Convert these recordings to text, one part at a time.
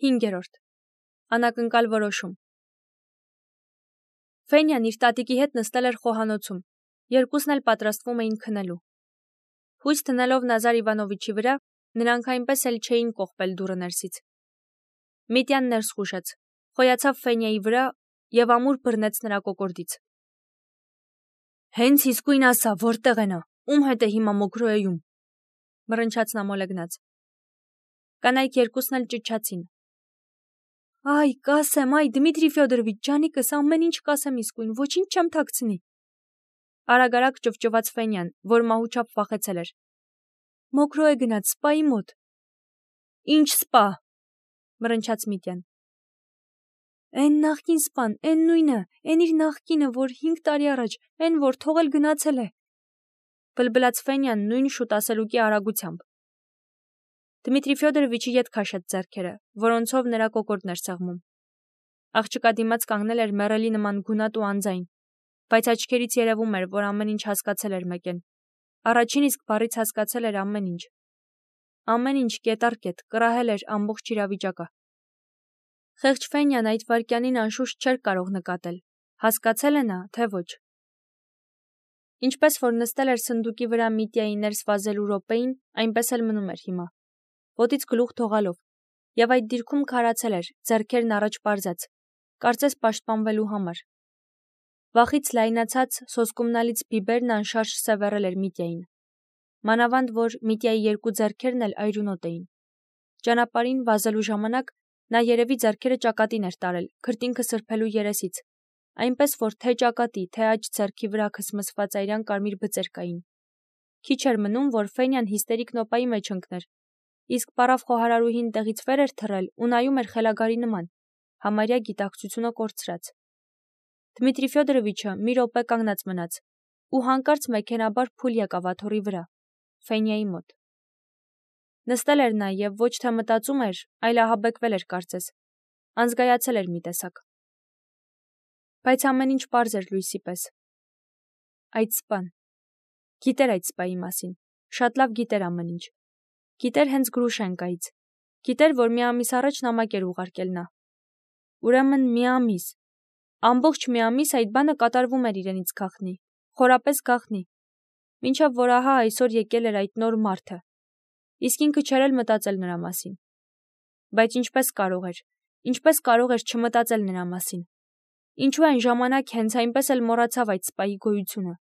5. Անակնկալ որոշում։ Ֆենյան իր տատիկի հետ նստել էր խոհանոցում, երկուսն էլ պատրաստվում էին քնելու։ Հույս դնելով Նազար Իվանովիչի վրա, նրանք այնպես էլ չէին կողպել դուռը ներսից։ Միտյան ներս խուժեց, խոյացավ Ֆենյայի վրա և ամուր բռնեց նրա կոկորդից։ Հենց իսկույն ասա, որտեղ է նա, ում հետ է հիմա Մոքրոյում, մռնչաց նա մոլեգնած։ Կանայք երկուսն էլ ճչացին։ Այ, կասեմ, այ, Դմիտրի Ֆյոդորովիչ, ջանիկս, ամեն ինչ կասեմ իսկույն, ոչինչ չեմ թաքցնի։ Արագ-արագ ճվճվաց Ֆենյան, որ մահուչափ վախեցել էր։ Մոքրո է գնաց, սպայի մոտ։ Ինչ սպա, մռնչաց Միտյան։ Էն նախկին սպան, էն նույնը, էն իր նախկինը, որ 5 տարի առաջ, էն որ թողել գնացել է։ Բլբլաց Ֆենյան նույն շուտ ասելուկի արագությամբ։ Դմիտրի Ֆյոդորովիչի ետ քաշեց ձեռքերը, որոնցով նրա կոկորդն էր սեղմում։ Աղջկա դիմաց կանգնել էր մեռելի նման գունատ ու անձայն, բայց աչքերից երևում էր, որ ամեն ինչ հասկացել էր մեկեն։ Առաջին իսկ բառից հասկացել էր ամեն ինչ։ Ամեն ինչ կետառ-կետ կռահել էր ամբողջ իրավիճակը։ Խեղճ Ֆենյան այդ վայրկյանին անշուշտ չէր կարող նկատել, հասկացել է նա, թե ոչ։ Ինչպես որ նստել էր սնդուկի վրա Միտյայի ներս վազելու րոպեին, այնպես էլ մնում էր հիմա, ոտից գլուխ թողալով, և այդ դիրքում քարացել էր, ձեռքերն առաջ պարզած, կարծես պաշտպանվելու համար։ Վախից լայնացած սոսկումնալից բիբերն անշարժ սևեռել էր Միտյային։ Մանավանդ, որ Միտյայի երկու ձեռքերն էլ այրունոտ էին։ Ճանապարհին վազելու ժամանակ նա երևի ձեռքերը ճակատին էր տարել, քրտինքը սրբելու երեսից, այնպես որ թե ճակատի, թե աջ ձեռքի վրա քսմսված այրան կարմիր բծեր կային։ Քիչ էր մնում, որ Ֆենյան հիստերիկ նոպայի մեջ ընկներ, իսկ պարավ խոհարարուհին տեղից վեր էր թռել ու նայում էր խելագարի նման, համարյա գիտակցությունը կորցրած։ Դմիտրի Ֆյոդորովիչը մի րոպե կանգնած մնաց ու հանկարծ մեքենաբար փուլ եկավ աթոռի վրա, Ֆենյայի մոտ։ Նստել էր նա և ոչ թե մտածում էր, այլ ահաբեկվել էր կարծես, անզգայացել էր մի տեսակ։ Բայց ամեն ինչ պարզ էր լույսի պես։ Այդ սպան։ Գիտեր այդ սպայի մասին, շատ լավ գիտեր ամեն ինչ։ Գիտեր հենց Գրուշենկայից։ Գիտեր, որ մի ամիս առաջ նամակ էր ուղարկել նա։ Ուրեմն մի ամիս։ Ամբողջ մի ամիս այդ բանը կատարվում էր իրենից գաղտնի, խորապես գաղտնի, մինչև որ ահա այսօր եկել էր այդ նոր մարդը։ Իսկ ինքը չէր էլ մտածել նրա մասին։ Բայց ինչպես կարող էր չմտածել նրա մասին։ Ինչու այն ժամանակ հենց այնպես էլ մոռացավ այդ սպայի գոյությունը։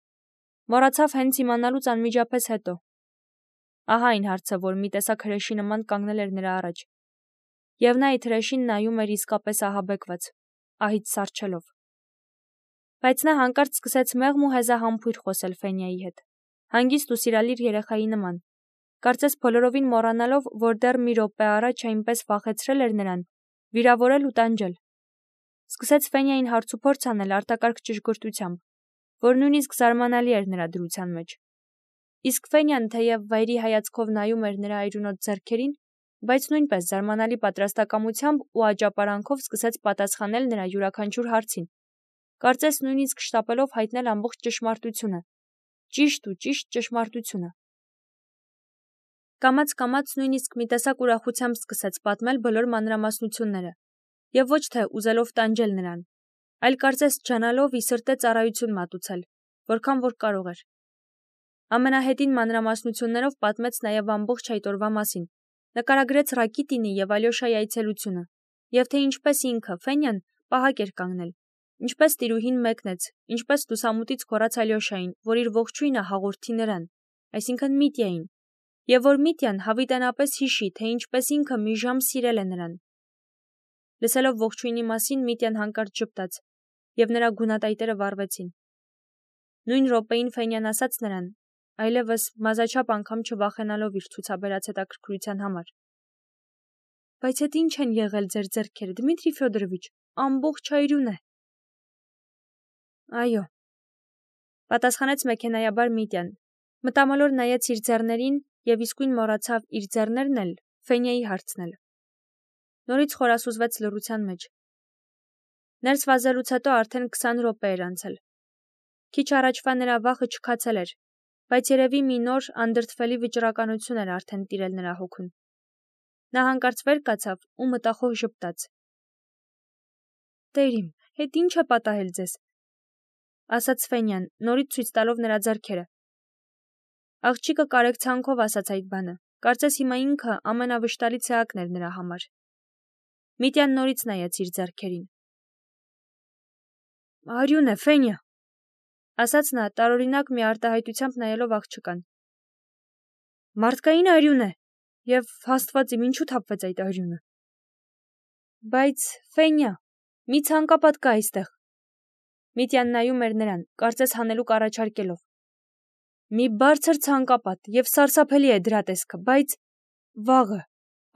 Մոռացավ հենց իմանալուց անմիջապես հետո։ Ահա այն հարցը, որ մի տեսակ հրեշի նման կանգնել էր նրա առաջ։ Եվ նա այդ հրեշին նայում էր իսկապես ահաբեկված, ահից սառչելով։ Բայց նա հանկարծ սկսեց մեղմ ու հեզահամբույր խոսել Ֆենյայի հետ, հանգիստ ու սիրալիր երեխայի նման, կարծես բոլորովին մոռանալով, որ դեռ մի րոպե առաջ այնպես վախեցրել էր նրան, վիրավորել ու տանջել։ Սկսեց Ֆենյային հարցուփորձ անել արտակարգ ճշգրտությամբ, որ նույնիսկ զարմանալի էր նրա դրության մեջ։ Իսկ Ֆենյան թեև վայրի հայացքով նայում էր նրա այրունոտ ձեռքերին, բայց նույնպես զարմանալի պատրաստակամությամբ ու աճապարանքով սկսեց պատասխանել նրա յուրաքանչյուր հարցին, կարծես նույնիսկ շտապելով հայտնել ամբողջ ճշմարտությունը, ճիշտ ճշմարտությունը։ Կամաց-կամաց նույնիսկ մի տեսակ ուրախությամբ սկսեց պատմել բոլոր մանրամասնությունները, և ոչ թե ուզելով տանջել նրան, այլ կարծես ջանալով ի սրտե ծառայություն մատուցել, որքան որ կարող էր։ Ամենահետին մանրամասնություններով պատմեց նաև ամբողջ այդ օրվա մասին, նկարագրեց Ռակիտինի և Ալյոշայի այցելությունը, և թե ինչպես ինքը, Ֆենյան, պահակ էր կանգնել, ինչպես տիրուհին մեկնեց, ինչպես լուսամուտից գոռաց Ալյոշային, որ իր ողջույնը հաղորդի նրան, այսինքն Միտյային, և որ Միտյան հավիտենապես հիշի, թե ինչպես ինքը մի ժամ սիրել է նրան։ Լսելով ողջույնի մասին Միտյան հանկարծ ժպտաց, և նրա գունատայտերը վառվեցին։ Նույն րոպեին Ֆենյան ասաց նրան, այլևս մազաչափ անգամ չվախենալով իր ցուցաբերած հետաքրքրության համար. Բայց հետ ինչ են եղել ձեր ձեռքերը, Դմիտրի Ֆյոդորովիչ, ամբողջ այրուն է։ Այո, պատասխանեց մեքենայաբար Միտյան, մտամոլոր նայեց իր ձեռներին և իսկույն մոռացավ իր ձեռներն էլ Ֆենյայի հարցնել։ Նորից խորասուզվեց լռության մեջ։ Ներս վազելուց հետո արդեն 20 րոպե էր անցել։ Քիչ առաջվա նրա վախը չքացել էր, բայց երևի մի նոր, անդրդվելի վճռականություն էր արդեն տիրել նրա հոգուն։ Նա հանկարծ վեր կացավ ու մտախոհ ժպտաց. «Տեր իմ, հետ ինչ է պատահել ձեզ», ասաց Ֆենյան, նորից ցույց տալով նրա ձեռքերը։ Աղջիկը կարեկցանքով ասաց այդ բանը, կարծես հիմա ինքը ամենավշտալի ցեղակն էր նրա համար։ Միտյան նորից նայեց իր ձեռքերին։ «Արյուն է, Ֆենյա», ասաց նա տարօրինակ մի արտահայտությամբ նայելով աղջկան։ «Մարդկային արյուն է, և Աստված իմ ինչու թափվեց այդ արյունը»։ Բայց, Ֆենյա, մի ցանկապատ կա այստեղ։ Միտյան նայում էր նրան, կարծես հանելուկ առաջարկելով։ Մի բարձր ցանկապատ և սարսափելի է դրա տեսքը, բայց վաղը,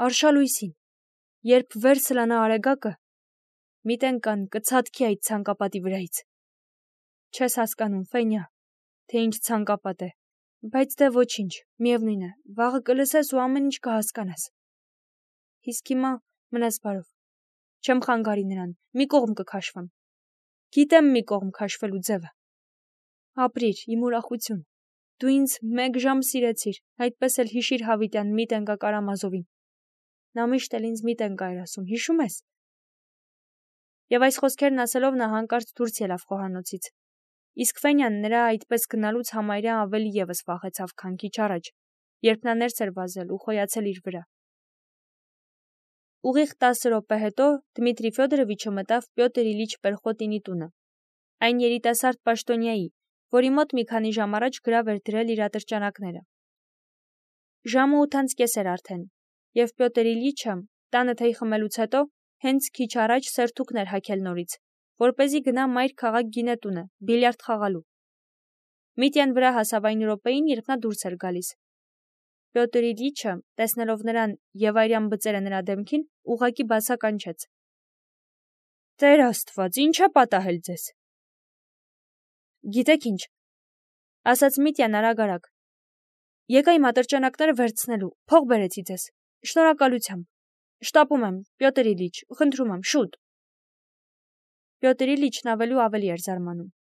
արշալույսին, երբ վեր սլանա արեգակը, մի տենկան կցատկի այդ ցանկապատի վրայից։ Չես հասկանում, Ֆենյա, թե ինչ ցանկապատ է, բայց դե ոչինչ, միևնույն է, վաղը կլսես ու ամեն ինչ կհասկանաս։ Իսկ հիմա մնաս բարով։ Չեմ խանգարի նրան, մի կողմ կքաշվեմ։ Գիտեմ մի կողմ քաշվելու ձևը։ Ապրիր, իմ ուրախություն։ Դու ինձ 1 ժամ սիրեցիր, այդպես էլ հիշիր Հավիտյան մի տենկա Կարամազովին։ Նա միշտ էլ ինձ մի տենկա էր ասում, հիշու՞մ ես։ Եվ այս խոսքերն ասելով նա հանկարծ դուրս ելավ խոհանոցից։ Իսկ Ֆենյան նրա այդպես գնալուց համարյա ավելի ևս վախեցավ, քան քիչ առաջ, երբ նա ներս էր վազել ու խոյացել իր վրա։ Ուղիղ 10 րոպե հետո Դմիտրի Ֆյոդորովիչը մտավ Պյոտր Իլիչ Պերխոտինի տունը, այն երիտասարդ պաշտոնյայի, որի մոտ մի քանի ժամ առաջ գրավ էր դրել իր ատրճանակները։ Ժամը 8:30 էր արդեն, եւ Պյոտր Իլիչը տանը թեյ խմելուց հետո հենց քիչ առաջ սերթուկն էր հագել նորից, որպեսզի գնա մայր քաղաք գինետունը, բիլիարդ խաղալու։ Միտյան վրա հասավ այն րոպեին, երբ նա դուրս էր գալիս։ Պյոտր Իլիչը, տեսնելով նրան եւ այրյան բծերը նրա դեմքին, ուղղակի բացականչեց. «Տեր Աստված, ինչ է պատահել ձեզ»։ Գիտեք ինչ, ասաց Միտյան արագ։ Եկա իմ ատրճանակները վերցնելու, փող բերեցի ձեզ։ Շնորհակալությամբ։ Շտապում եմ, Պյոտր Իլիչ, խնդրում եմ, շուտ։ Պյոտր Իլիչն ավելի էր զարմանում։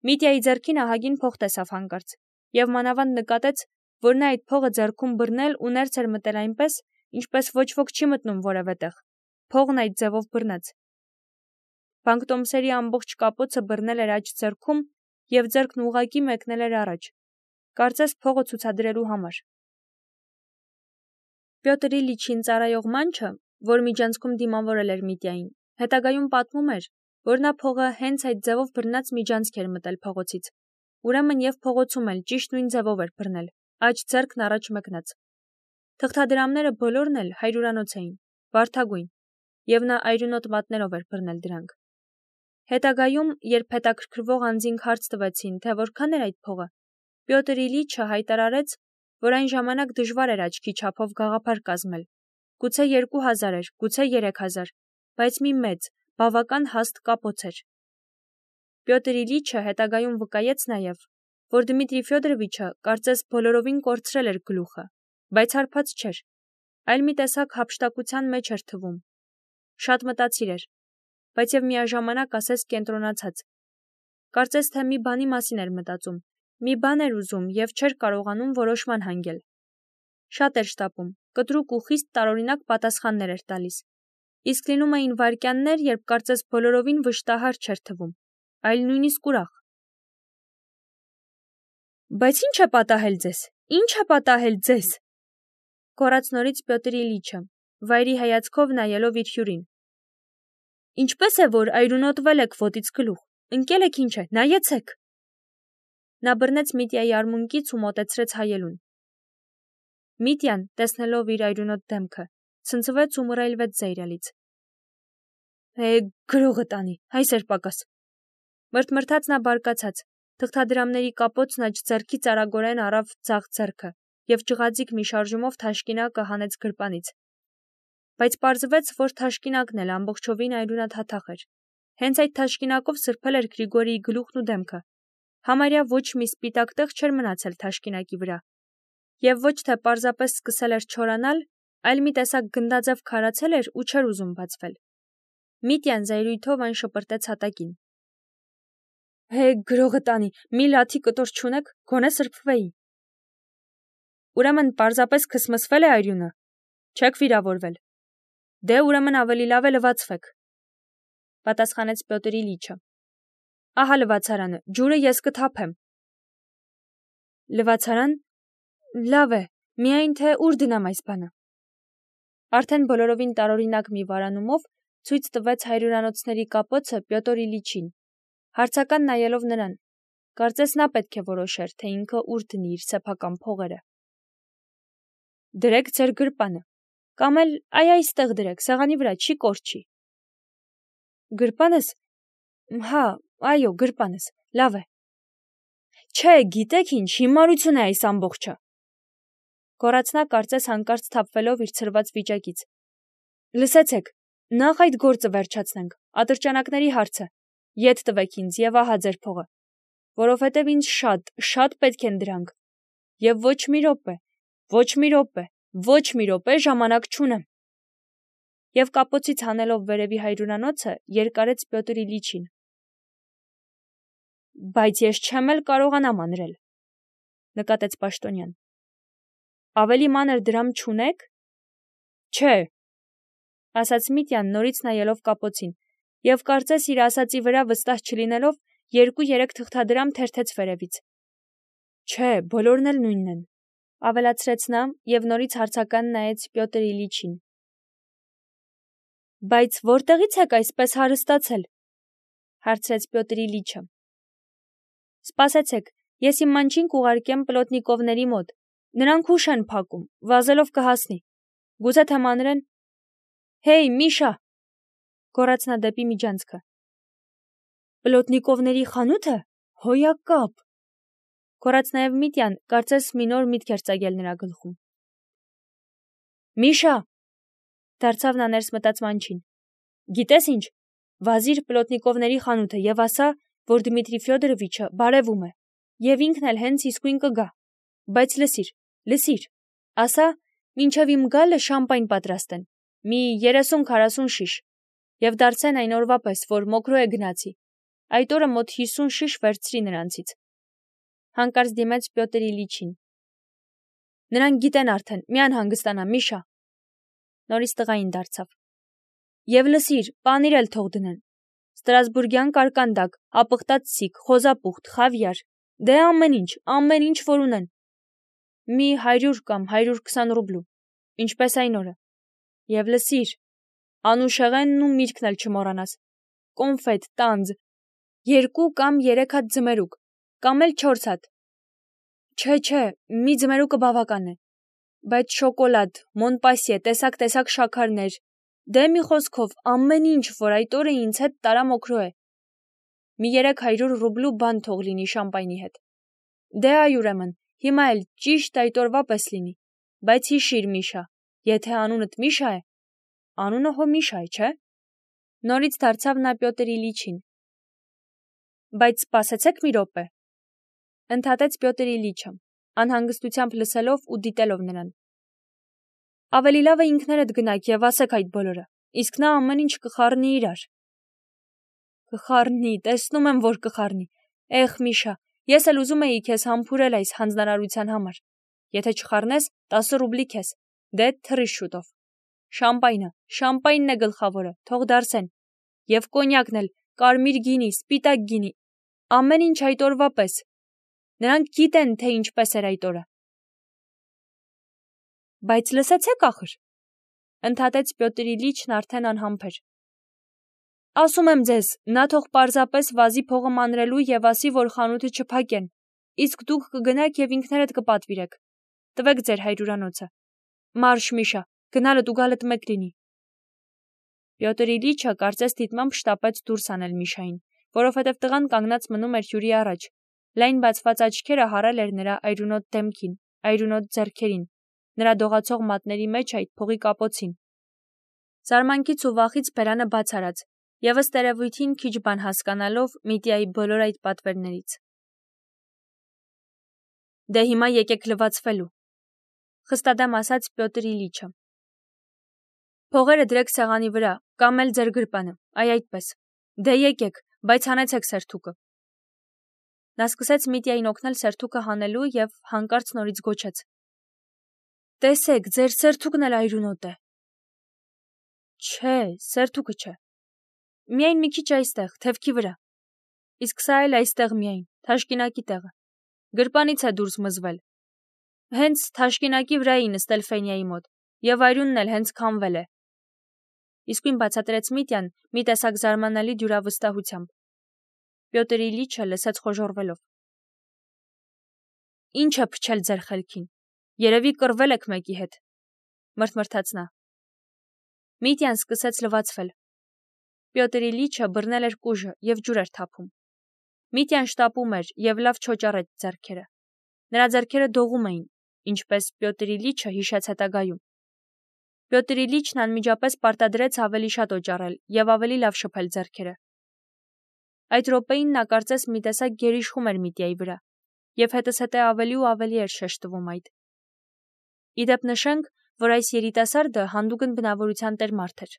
Միտյայի ձեռքին ահագին փող տեսավ հանկարծ, եւ մանավանդ նկատեց, որ նա այդ փողը ձեռքում բռնել ու ներս էր մտել այնպես, ինչպես ոչ ոք չի մտնում որևէ տեղ։ Փողն այդ ձևով բռնեց։ Բանկտոմսերի ամբողջ կապոցը բռնել էր աջ ձեռքում եւ ձեռքն ուղղակի մեկնել էր առաջ, կարծես փողը ցուցադրելու համար։ Պյոտր Իլիչին ծառայող մանչը, որ միջանցքում դիմավորել էր Միտյային, հետագայում պատմում էր, որ նա փողը հենց այդ ձևով բռնած միջանցք էր մտել փողոցից։ Ուրեմն եւ փողոցում էլ ճիշտ նույն ձևով էր բռնել, աջ ձեռքն առաջ մեկնած։ Թղթադրամները բոլորն էլ հայրուրանոց էին, վարդագույն, եւ նա այրունոտ մատներով էր բռնել դրանք։ Հետագայում, երբ հետաքրքրվող անձինք հարց տվեցին, թե որքան էր այդ փողը, Պյոտր Իլիչը հայտարարեց, որ այն ժամանակ դժվար էր աչքի չափով գաղափար կազմել։ Գուցե 2000 էր, գուցե 3000, բայց մի մեծ, բավական հաստ կապոց էր։ Պյոտր Իլիչը հետագայում վկայեց նաեւ, որ Դմիտրի Ֆյոդորովիչը կարծես բոլորովին կորցրել էր գլուխը, բայց հարբած չէր, այլ մի տեսակ հափշտակության մեջ էր թվում։ Շատ մտածիր էր, բայց եւ միաժամանակ ասես կենտրոնացած։ Կարծես թե մի բանի մասին էր մտածում, մի բան էր ուզում եւ չէր կարողանում որոշման հանգել։ Շատ էր շտապում, կտրուկ ու խիստ տարօրինակ պատասխաններ էր տալիս։ Իսկ լինում էին վայրկյաններ, երբ կարծես բոլորովին վշտահար չէր թվում, այլ նույնիսկ ուրախ։ Բայց ի՞նչ է պատահել ձեզ։ Ի՞նչ է պատահել ձեզ։ Կորած նորից Պյոտր Իլիչը, վայրի հայացքով նայելով իր հյուրին։ Ինչպես է, որ այրունոտվել եք ոտից գլուխ, ընկել եք ինչ է, նայեցեք։ Նա բռնեց Միտյայի արմունկից ու մոտեցրեց հայելուն։ Միտյան, տեսնելով իր այրունոտ դեմքը, ցնցվեց ու մռայլվեց զայրալից։ Գրողը տանի, այս էր պակաս։ Մրթմրթաց նա բարկացած, թղթադրամների կապոցն աջ ձեռքից արագորեն առավ ձախ ձեռքը եւ ջղաձիգ մի շարժումով թաշկինակը հանեց գրպանից։ Բայց պարզվեց, որ թաշկինակն էլ ամբողջովին այրունաթաթախ էր։ Հենց այդ թաշկինակով սրբել էր Գրիգորիի գլուխն ու դեմքը։ Համարյա ոչ մի սպիտակ տեղ չէր մնացել թաշկինակի վրա։ Եվ ոչ թե պարզապես սկսել էր չորանալ, այլ մի տեսակ գնդաձև քարացել էր ու չէր ուզում բացվել։ Միտյան զայրույթով այն շպրտեց հատակին։ Գրողը տանի, մի լաթի կտոր չունեք, գոնե սրբվեի։ Ուրեմն պարզապես քսմսվել է այրյունը։ Չեք վիրավորվել։ Դե ուրեմն ավելի լավ է լվացվեք, պատասխանեց Պյոտր Իլիչը։ Ահա լվացարանը, ջուրը ես կթափեմ։ Լվացարան։ Լավ է, միայն թե ուր դնամ այս բանը։ Արդեն բոլորովին տարօրինակ մի վարանումով ցույց տվեց հայրուրանոցների կապոցը Պյոտր Իլիչին, հարցական նայելով նրան։ Կարծես նա պետք է որոշեր, թե ինքը ուր դնի իր սեփական փողերը։ Դրեք ձեր գրպանը, կամ էլ այստեղ դրեք, սեղանի վրա, չի կորչի։ Գրպանս։ Հա, այո, գրպանս, լավ է։ Չէ, գիտեք ինչ, հիմարություն է այս ամբողջը։ Գոռաց նա կարծես հանկարծ թափվելով իր ցրված վիճակից։ Լսեցեք, նախ այդ գործը վերջացնենք, ատրճանակների հարցը։ Ետ տվեք ինձ եւ ահա ձեր փողը, որովհետեւ ինձ շատ պետք են դրանք։ Եվ ոչ մի րոպե ժամանակ չունեմ։ Եվ կապոցից հանելով վերևի հայրուրանոցը, երկարեց Պյոտր Իլիչին։ Բայց ես չեմ էլ կարողանամ անրել, նկատեց պաշտոնյան։ Ավելի մանր դրամ չունեք։ Չէ, ասաց Միտյան նորից նայելով կապոցին, եւ կարծես իր ասածի վրա վստահ չլինելով 2-3 թղթադրամ թերթեց վերևից։ Չէ, բոլորն էլ նույնն են, ավելացրեց նա եւ նորից հարցական նայեց Պյոտր Իլիչին։ Բայց որտեղից եք այսպես հարստացել, հարցրեց Պյոտր Իլիչը։ Սպասեցեք, ես իմ մանչին կուղարկեմ պլոտնիկովների մոտ, նրանք ուշ են փակում, վազելով կհասնի, գուցե թե մանրեն։ Հեյ, Միշա, գոռաց նա դեպի միջանցքը։ Պլոտնիկովների խանութը, հոյակապ, գոռաց նաև Միտյան, կարծես մի նոր միտք էր ծագել նրա գլխում։ Միշա, դարձավ նա ներս մտած մանչին, գիտես ինչ, վազիր պլոտնիկովների խանութը եւ ասա, որ Դմիտրի Ֆյոդորովիչը բարևում է, եւ ինքն էլ հենց իսկույն կգա, բայց լսիր, ասա, մինչև իմ գալը շամպայն պատրաստեն, մի 30-40 շիշ, եւ դարձեն այն օրվա պես, որ մոքրո է գնացի, այդ օրը մոտ 50 շիշ վերցրի նրանցից։ Հանկարծ դիմեց Պյոտր Իլիչին։ Նրանք գիտեն արդեն, մի անհանգստանա, Միշա։ Նորից տղային դարձավ։ Եվ լսիր, պանիր էլ թող դնեն։ Ստրասբուրգյան կարկանդակ, ապխտած սիկ, խոզապուխտ, խավիար, դե ամեն ինչ, որ ունեն։ Մի 100 կամ 120 ռուբլու, ինչպես այն օրը։ Եվ լսիր, անուշեղենն ու միրգն էլ չմոռանաս։ Կոնֆետ, տանձ, 2 կամ 3 հատ ձմերուկ, կամ էլ 4 հատ։ Չէ, մի ձմերուկը բավական է։ Բայց շոկոլադ, Մոնպասիե, տեսակ շաքարներ, դե մի խոսքով, ամեն ինչ, որ այդ օրը ինձ հետ տարա մոքրո է։ Մի 300 ռուբլու բան թող լինի շամպայնի հետ։ Դե այ ուրեմն, հիմա էլ ճիշտ այդ օրվա պես լինի։ Բայց հիշիր, Միշա, եթե անունդ Միշա է, անունը հո Միշա է, չէ՞։ Նորից դարձավ նա Պյոտր Իլիչին։ Բայց սպասեցեք մի րոպե, ընդհատեց Պյոտր Իլիչը, անհանգստությամբ լսելով ու դիտելով նրան։ Ավելի լավ է ինքներդ գնաք եւ ասեք այդ բոլորը, իսկ նա ամեն ինչ կխառնի իրար։ Կխառնի, տեսնում եմ, որ կխառնի։ Էխ, Միշա, ես էլ ուզում էի քեզ համբուրել այս հանձնարարության համար։ Եթե չխառնես, 10 ռուբլի քեզ, դե թռի շուտով։ Շամպայնն է գլխավորը, թող դարսեն։ Եվ կոնյակն էլ, կարմիր գինի, սպիտակ գինի, ամեն ինչ այդ օրվա պես։ Նրանք գիտեն, թե ինչպես էր այդ օրը։ Բայց լսեցեք ախր, ընդհատեց Պյոտր Իլիչն արդեն անհամբեր։ Ասում եմ ձեզ, նա թող պարզապես վազի փողը մանրելու եւ ասի, որ խանութը չփակեն, իսկ դուք կգնաք եւ ինքներդ կպատվիրեք։ Տվեք ձեր հայրուրանոցը։ Մարշ, Միշա, գնալդ ու գալդ մեկ լինի։ Պյոտր Իլիչը կարծես դիտմամբ շտապեց դուրս անել Միշային, որովհետև տղան կանգնած մնում էր հյուրի առաջ։ Լայն բացված աչքերը հարել էր նրա այրունոտ դեմքին, այրունոտ ձեռքերին, նրա դողացող մատների մեջ այդ փողի կապոցին։ Զարմանքից ու վախից բերանը բաց արած, եւ ըստ երևույթին քիչ բան հասկանալով Միտիայի բոլոր այդ պատվերներից։ Դե հիմա եկեք լվացվելու, խստադեմ ասաց Պյոտր Իլիչը։ Փողերը դրեք սեղանի վրա, կամ էլ ձեր գրպանը, այդպես։ Դե եկեք, բայց հանեցեք սերթուկը։ Նա սկսեց Միտիային օգնել սերթուկը հանելու եւ հանկարծ նորից գոչեց. Տեսեք, ձեր սերթուկն էլ այրունոտ է։ Չէ, սերթուկը չէ։ Միայն մի քիչ այստեղ, թևքի վրա։ Իսկ սա էլ այստեղ միայն, թաշկինակի տեղը։ Գրպանից է դուրս մզվել։ Հենց թաշկինակի վրա էի նստել Ֆենյայի մոտ, եւ այրունն էլ հենց քամվել է։ Իսկույն բացատրեց Միտյան մի տեսակ զարմանալի դյուրավստահությամբ։ Պյոտր Իլիչը լսեց խոժոռվելով։ Ինչ է փչել ձեր խելքին։ Երևի կռվել եք մեկի հետ, մրթմրթաց նա։ Միտյան սկսեց լվացվել։ Պյոտր Իլիչը բռնել էր կուժը եւ ջուր էր թափում։ Միտյան շտապում էր եւ լավ չոճառեց ձեռքերը։ Նրա ձեռքերը դողում էին, ինչպես Պյոտր Իլիչը հիշեց հետագայում։ Պյոտր Իլիչն անմիջապես պարտադրեց ավելի շատ օճառել եւ ավելի լավ շփել ձեռքերը։ Այդ րոպեին նա կարծես մի տեսակ գերիշխում էր Միտյայի վրա, եւ հետզհետե ավելի ու ավելի էր շեշտվում այդ։ Իդեպ նշենք, որ այս երիտասարդը հանդուգն բնավորության տեր մարդ էր։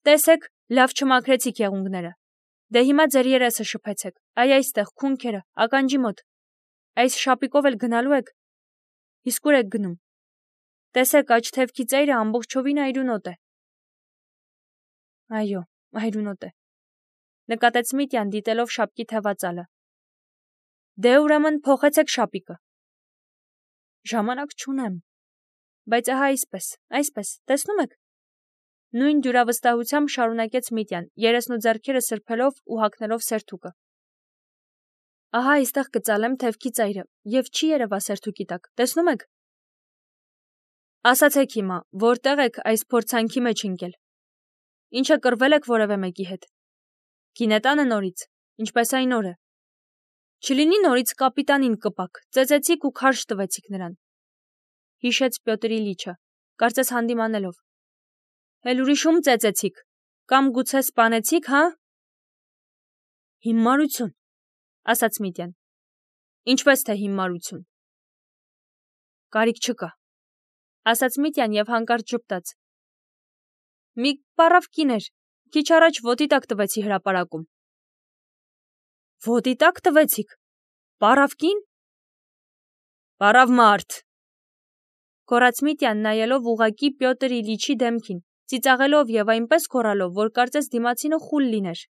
Տեսեք, լավ չմաքրեցիք եղունգները։ Դե հիմա ձեր երեսը շփեցեք, այ այստեղ, քունքերը, ականջի մոտ։ Այս շապիկով էլ գնալու եք։ Իսկ ուր եք գնում։ Տեսեք, աջ թևքի ծայրը ամբողջովին այրունոտ է։ Այո, այրունոտ է, նկատեց Միտյան դիտելով շապկի թևածալը։ Դե ուրեմն փոխեցեք շապիկը։ Ժամանակ չունեմ։ Բայց ահա այսպես, տեսնում եք։ Նույն դյուրավստահությամբ շարունակեց Միտյան, երեսն ու ձեռքերը սրբելով ու հագնելով սերթուկը։ Ահա այստեղ կծալեմ թևքի ծայրը, եւ չի երևա սերթուկի տակ, տեսնում եք։ Ասացեք հիմա, որտեղ եք այս փորձանքի մեջ ընկել։ Ինչը կռվել եք որևէ մեկի հետ։ Գինետանը նորից, ինչպես այն օրը։ Չլինի նորից կապիտանին կպակ, ծեծեցիք ու քարշ տվեցիք նրան։ Հիշեց Պյոտր Իլիչը, կարծես հանդիմանելով։ Էլ ուրիշում ծեծեցիք, կամ գուցե սպանեցիք, հա։ Հիմարություն, ասաց Միտյան։ Ինչպես թե հիմարություն։ Կարիք չկա, ասաց Միտյան եւ հանկարծ ժպտաց։ Մի պարավ կին էր, քիչ առաջ ոտի տակ տվեցի հրապարակում։ Ոտի տակ տվեցիք։ Պարավ կին։ Պարավ մարդ։ Գոռաց Միտյան նայելով ուղղակի Պյոտր Իլիչի դեմքին, ծիծաղելով եւ այնպես գոռալով, որ կարծես դիմացինը խուլ լիներ։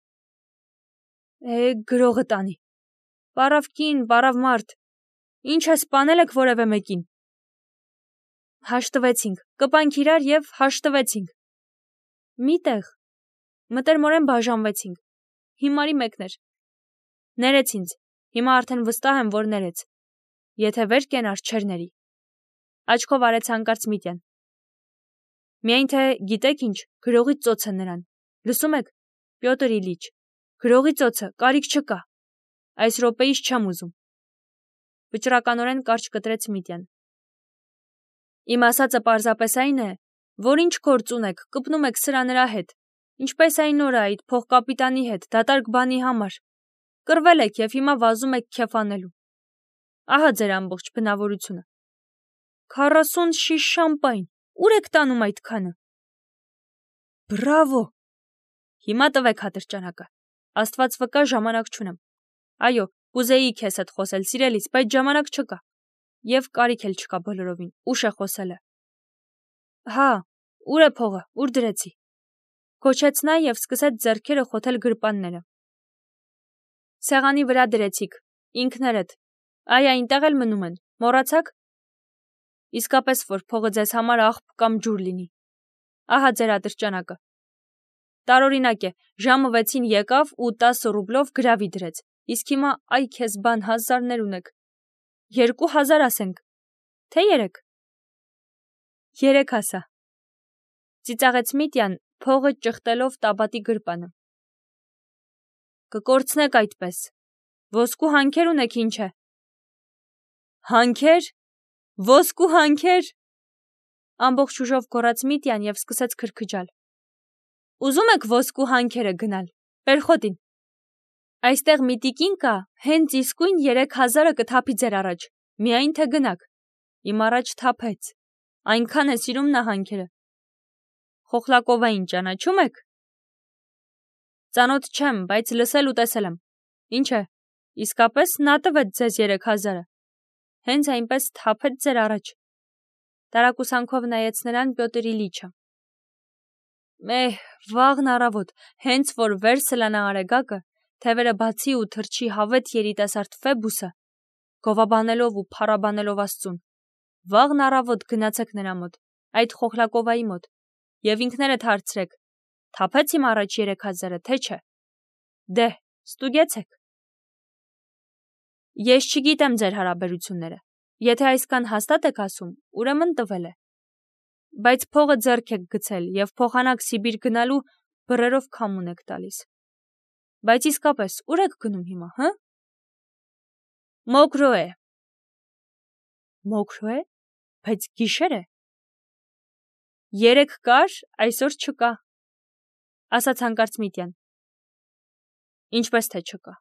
Գրողը տանի։ Պարավ կին, պարավ մարդ։ Ինչ է սպանել եք որևէ մեկին։ Հաշտվեցինք, կպանք իրար եւ հաշտվեցինք։ Միտեղ մտերմորեն բաժանվեցինք։ Հիմարի մեկն էր։ Ներեց ինձ։ Հիմա արդեն վստահ եմ, որ ներեց։ Եթե վեր կենար, չեր ների։ Աչքով արեց հանկարծ Միտյան։ Միայն թե գիտեք ինչ, գրողի ծոցը նրան։ Լսում եք, Պյոտր Իլիչ, գրողի ծոցը, կարիք չկա։ Այս րոպեից չեմ ուզում։ Վճռականորեն կարճ կտրեց Միտյան։ Իմ ասածը պարզապես այն է, որ ինչ գործ ունեք, կպնում եք սրա նրա հետ, ինչպես այն օրը այդ փողկապիտանի հետ, դատարկ բանի համար։ Կռվել եք եւ հիմա վազում եք քեֆ անելու։ Ահա ձեր ամբողջ բնավորությունը։ 40 շիշ շամպայն, ուր եք տանում այդքանը։ Բրավո։ Հիմա տվեք հատրճանակը։ Աստված վկա, ժամանակ չունեմ։ Այո, կուզեի քեզ հետ խոսել, սիրելիս, բայց ժամանակ չկա։ Եվ կարիք էլ չկա բոլորովին, ուշ է խոսելը։ Հա, ուր է փողը, ուր դրեցի։ Քոչեց նա եւ սկսեց ձեռքերը խոթել գրպանները։ Սեղանի վրա դրեցիք, ինքներդ։ Այ այնտեղ էլ մնում են, մոռացաք։ Իսկապես որ փողը ձեզ համար աղբ կամ ջուր լինի։ Ահա ձեր ատրճանակը։ Տարօրինակ է, ժամը 6-ին եկավ ու 10 ռուբլով գրավի դրեց, իսկ հիմա այ քեզ բան հազարներ ունեք։ 2000 ասենք, թե 3։ 3 ասա։ Ծիծաղեց Միտյան, փողը ճխտելով տաբատի գրպանը։ Կկորցնեք այդպես։ Ոսկու հանքեր ունեք ինչ է։ Հանքեր։ Ոսկու հանքեր։ Ամբողջ ուժով գոռաց Միտյան եւ սկսեց քրքջալ։ Ուզում եք ոսկու հանքերը գնալ։ Պերխոտին։ Այստեղ մի տիկին կա, հենց իսկույն 3000-ը կթափի ձեր առաջ, միայն թե գնաք։ Իմ առաջ թափեց։ Այնքան է սիրում նա հանքերը։ Խոխլակովային ճանաչում եք։ Ծանոթ չեմ, բայց լսել ու տեսել եմ։ Ինչ է, իսկապես նա տվեց ձեզ 3000-ը։ Հենց այնպես թափեց ձեր առաջ։ Տարակուսանքով նայեց նրան Պյոտր Իլիչը։ Վաղն առավոտ, հենց որ վեր սլանա արեգակը, թևերը բացի ու թրջի հավետ երիտասարդ Ֆեբուսը, գովաբանելով ու փառաբանելով Աստծուն։ Վաղն առավոտ գնացեք նրա մոտ, այդ Խոխլակովայի մոտ, եւ ինքներդ հարցրեք, թափեց իմ առաջ 3000-ը, թե չէ։ Դե, ստուգեցեք։ Ես չգիտեմ ձեր հարաբերությունները։ Եթե այսքան հաստատ եք ասում, ուրեմն տվել է։ Բայց փողը ձեռք եք գցել եւ փոխանակ Սիբիր գնալու բռերով քամուն եք տալիս։ Բայց իսկապես ուր եք գնում հիմա, հը? Մոկրոե։ Մոկրոե? Բայց գիշեր է։ Երեկ կար, այսօր չկա, ասաց հանկարծ Միտյան։ Ինչպես թե չկա։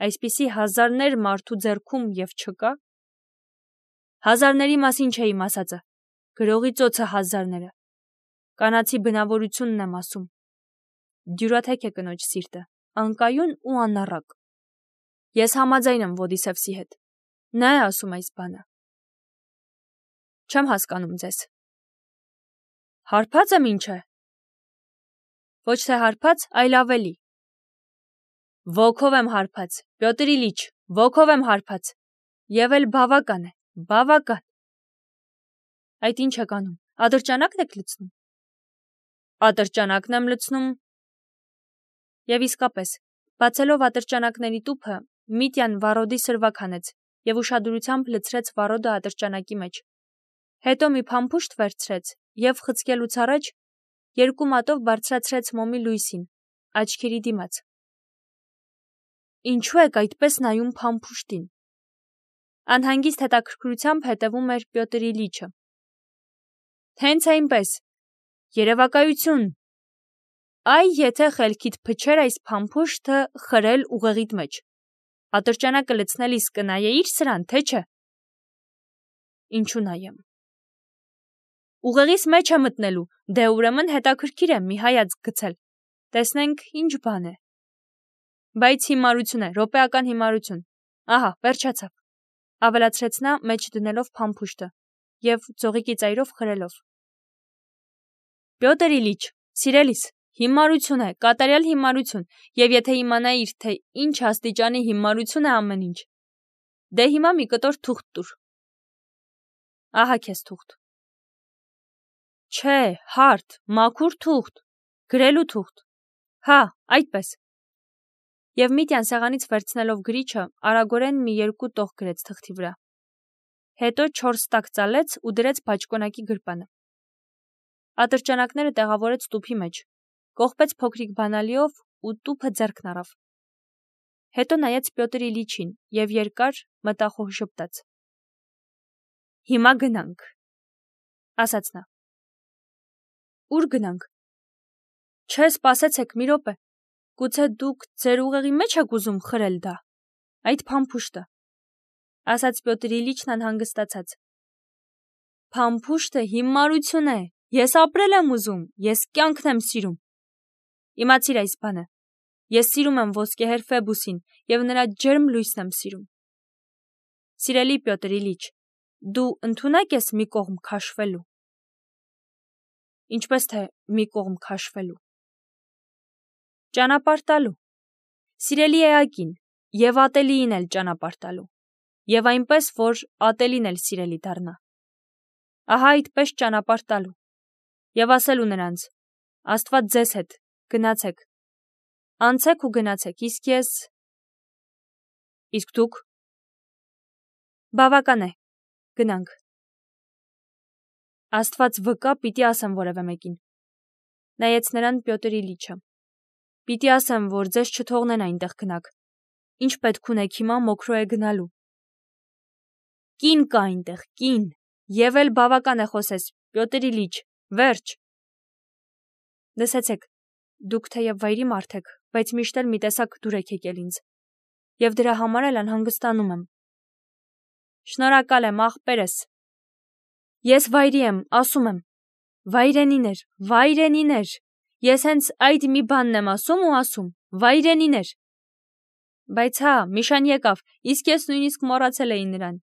Այսպիսի հազարներ մարդու ձեռքում եւ չկա։ Հազարների մասին չէի ասածը, գրողի ծոցը հազարները։ Կանացի բնավորությունն եմ ասում։ Դյուրաթեք է կնոջ սիրտը, անկայուն ու անառակ։ Ես համաձայն եմ Ոդիսևսի հետ։ Նա է ասում այս բանը։ Չեմ հասկանում ձեզ։ Հարբած եմ ինչ է։ Ոչ թե հարբած, այլ ավելի։ Ոգով եմ հարբած, Պյոտր Իլիչ, ոգով եմ հարբած։ Եվ էլ բավական է, բավական։ Այդ ինչ եք անում, ատրճանակն եք լցնում։ Ատրճանակն եմ լցնում։ Եվ իսկապես, բացելով ատրճանակների տուփը, Միտյան վառոդի սրվակ հանեց եւ ուշադրությամբ լցրեց վառոդը ատրճանակի մեջ։ Հետո մի փամփուշտ վերցրեց եւ խցկելուց առաջ 2 մատով բարձրացրեց մոմի լույսին, աչքերի դիմաց։ Ինչու եք այդպես նայում փամփուշտին։ Անհանգիստ հետաքրքրությամբ հետևում էր Պյոտր Իլիչը։ Հենց այնպես։ Երևակայություն։ Այ եթե խելքիդ փչեր այս փամփուշտը խրել ուղեղիդ մեջ։ Ատրճանակը լցնելիս կնայեիր սրան, թե չէ։ Ինչու նայեմ։ Ուղեղիս մեջ է մտնելու, դե ուրեմն հետաքրքիր է մի հայացք գցել։ Տեսնենք ինչ բան է։ Բայց հիմարություն է, րոպեական հիմարություն։ Ահա, վերջացավ, ավելացրեց նա մեջ դնելով փամփուշտը եւ ձողիկի ծայրով խրելով։ Պյոտր Իլիչ, սիրելիս, հիմարություն է, կատարյալ հիմարություն, եւ եթե իմանայիր, թե ինչ աստիճանի հիմարություն է ամեն ինչ։ Դե հիմա մի կտոր թուղթ տուր։ Ահա քեզ թուղթ։ Չէ, հարթ, մաքուր թուղթ, գրելու թուղթ։ Հա, այդպես։ Եվ Միտյան սեղանից վերցնելով գրիչը, արագորեն մի 2 տող գրեց թղթի վրա։ Հետո 4 տակ ծալեց ու դրեց բաճկոնակի գրպանը։ Ատրճանակները տեղավորեց տուփի մեջ, կողպեց փոքրիկ բանալիով ու տուփը ձեռքն առավ։ Հետո նայեց Պյոտր Իլիչին եւ երկար մտախոհ ժպտաց։ Հիմա գնանք, ասաց նա։ Ուր գնանք։ Չէ, սպասեցեք մի րոպե։ Գուցե դուք ձեր ուղեղի մեջ եք ուզում խրել դա, այդ փամփուշտը, ասաց Պյոտր Իլիչն անհանգստացած։ Փամփուշտը հիմարություն է, ես ապրել եմ ուզում, ես կյանքն եմ սիրում։ Իմացիր այս բանը, ես սիրում եմ ոսկեհեր Ֆեբուսին եւ նրա ջերմ լույսն եմ սիրում։ Սիրելի Պյոտր Իլիչ, դու ընդունակ ես մի կողմ քաշվելու։ Ինչպես թե մի կողմ քաշվելու։ Ճանապարհ տալու։ Սիրելի Էակին, եւ ատելիին էլ ճանապարհ տալու։ Եվ այնպես, որ ատելին էլ սիրելի դառնա։ Ահա այդպես ճանապարհ տալու։ Եվ ասելու նրանց. Աստված ձեզ հետ, գնացեք։ Անցեք ու գնացեք, իսկ ես։ Իսկ դուք։ Բավական է, գնանք։ Աստված վկա, պիտի ասեմ որևէ մեկին։ Նայեց նրան Պյոտր Իլիչը։ Պիտի ասեմ, որ ձեզ չթողնեն այնտեղ գնաք։ Ինչ պետք ունեք հիմա Մոկրոե գնալու։ Կին կա այնտեղ, կին, եւ էլ բավական է խոսես, Պյոտր Իլիչ, վերջ։ Լսեցեք, դուք թեև վայրի մարդ եք, բայց միշտ էլ մի տեսակ դուր եք եկել ինձ։ Եվ դրա համար էլ անհանգստանում եմ։ Շնորհակալ եմ, ախպերս։ Ես վայրի եմ, ասում եմ։ Վայրենիներ, վայրենիներ։ Ես հենց այդ մի բանն եմ ասում ու ասում, վայրենիներ։ Բայց հա, Միշան եկավ, իսկ ես նույնիսկ մոռացել էի նրան։